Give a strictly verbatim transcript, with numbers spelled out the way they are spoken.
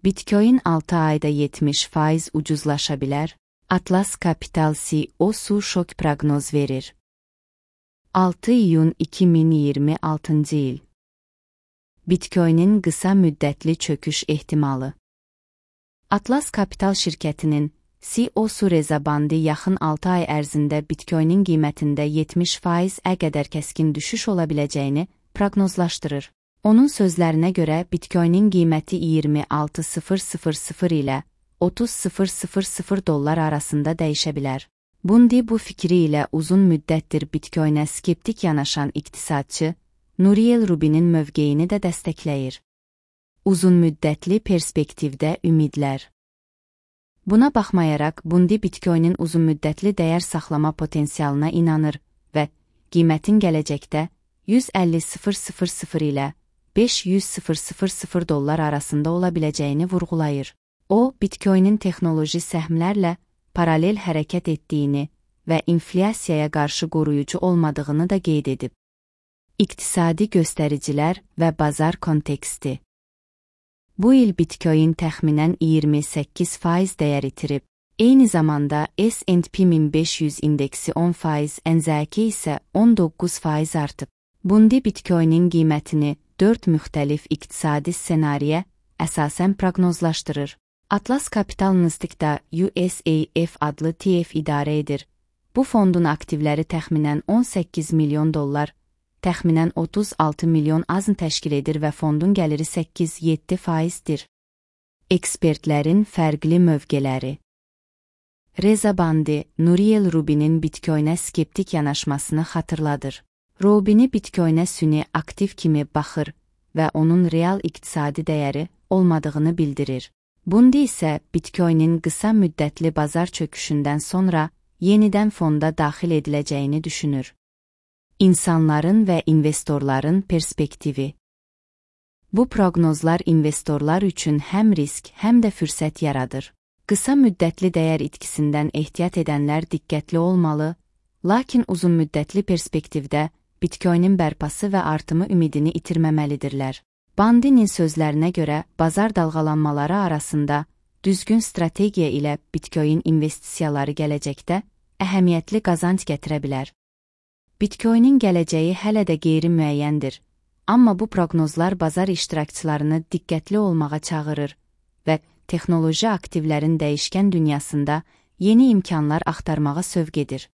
Bitcoin altı ayda yetmiş faiz ucuzlaşa bilər. Atlas Capital C E O su şok proqnoz verir. altı iyun iki min iyirmi altıncı il. Bitcoin'in qısa müddətli çöküş ehtimalı. Atlas Capital şirkətinin C E O su Reza Bandi yaxın altı ay ərzində Bitcoin'in qiymətində yetmiş faiz-ə qədər kəskin düşüş ola biləcəyini proqnozlaşdırır. Onun sözlərinə görə Bitcoin'in qiyməti iyirmi altı min ilə otuz min dollar arasında dəyişə bilər. Bundi bu fikri ilə uzun müddətdir Bitcoin'ə skeptik yanaşan iqtisadçı Nouriel Rubinin mövqeyini də dəstəkləyir. Uzun müddətli perspektivdə ümidlər. Buna baxmayaraq, Bundi Bitcoin'in uzun müddətli dəyər saxlama potensialına inanır və qiymətin gələcəkdə yüz əlli min ilə beş yüz min dollar arasında ola biləcəyini vurğulayır. O, Bitcoin'in texnoloji səhmlərlə paralel hərəkət etdiyini və inflyasiyaya qarşı qoruyucu olmadığını da qeyd edib. İqtisadi göstəricilər və bazar konteksti. Bu il Bitcoin təxminən iyirmi səkkiz faiz dəyər itirib. Eyni zamanda S and P min beş yüz indeksi on faiz, N Z K isə on doqquz faiz artıb. Bundi Bitcoin'in qiymətini dörd müxtəlif iqtisadi ssenariyə əsasən proqnozlaşdırır. Atlas Capital Nasdaqda U S A F adlı T F idarə edir. Bu fondun aktivləri təxminən on səkkiz milyon dollar, təxminən otuz altı milyon azn təşkil edir və fondun gəliri səkkiz yeddi faizdir. Ekspertlərin fərqli mövqeləri. Reza Bandi, Nouriel Rubinin Bitcoin'ə skeptik yanaşmasını xatırladır. Rubini Bitcoin'ə süni aktiv kimi baxır və onun real iqtisadi dəyəri olmadığını bildirir. Bundi isə Bitcoin'in qısa müddətli bazar çöküşündən sonra yenidən fonda daxil ediləcəyini düşünür. İnsanların və investorların perspektivi. Bu proqnozlar investorlar üçün həm risk, həm də fürsət yaradır. Qısa müddətli dəyər itkisindən ehtiyat edənlər diqqətli olmalı, lakin uzun müddətli perspektivdə Bitcoin'in bərpası və artımı ümidini itirməməlidirlər. Bandinin sözlərinə görə bazar dalğalanmaları arasında düzgün strategiya ilə Bitcoin investisiyaları gələcəkdə əhəmiyyətli qazanc gətirə bilər. Bitcoin'in gələcəyi hələ də qeyri-müəyyəndir, amma bu proqnozlar bazar iştirakçılarını diqqətli olmağa çağırır və texnoloji aktivlərin dəyişkən dünyasında yeni imkanlar axtarmağa sövq edir.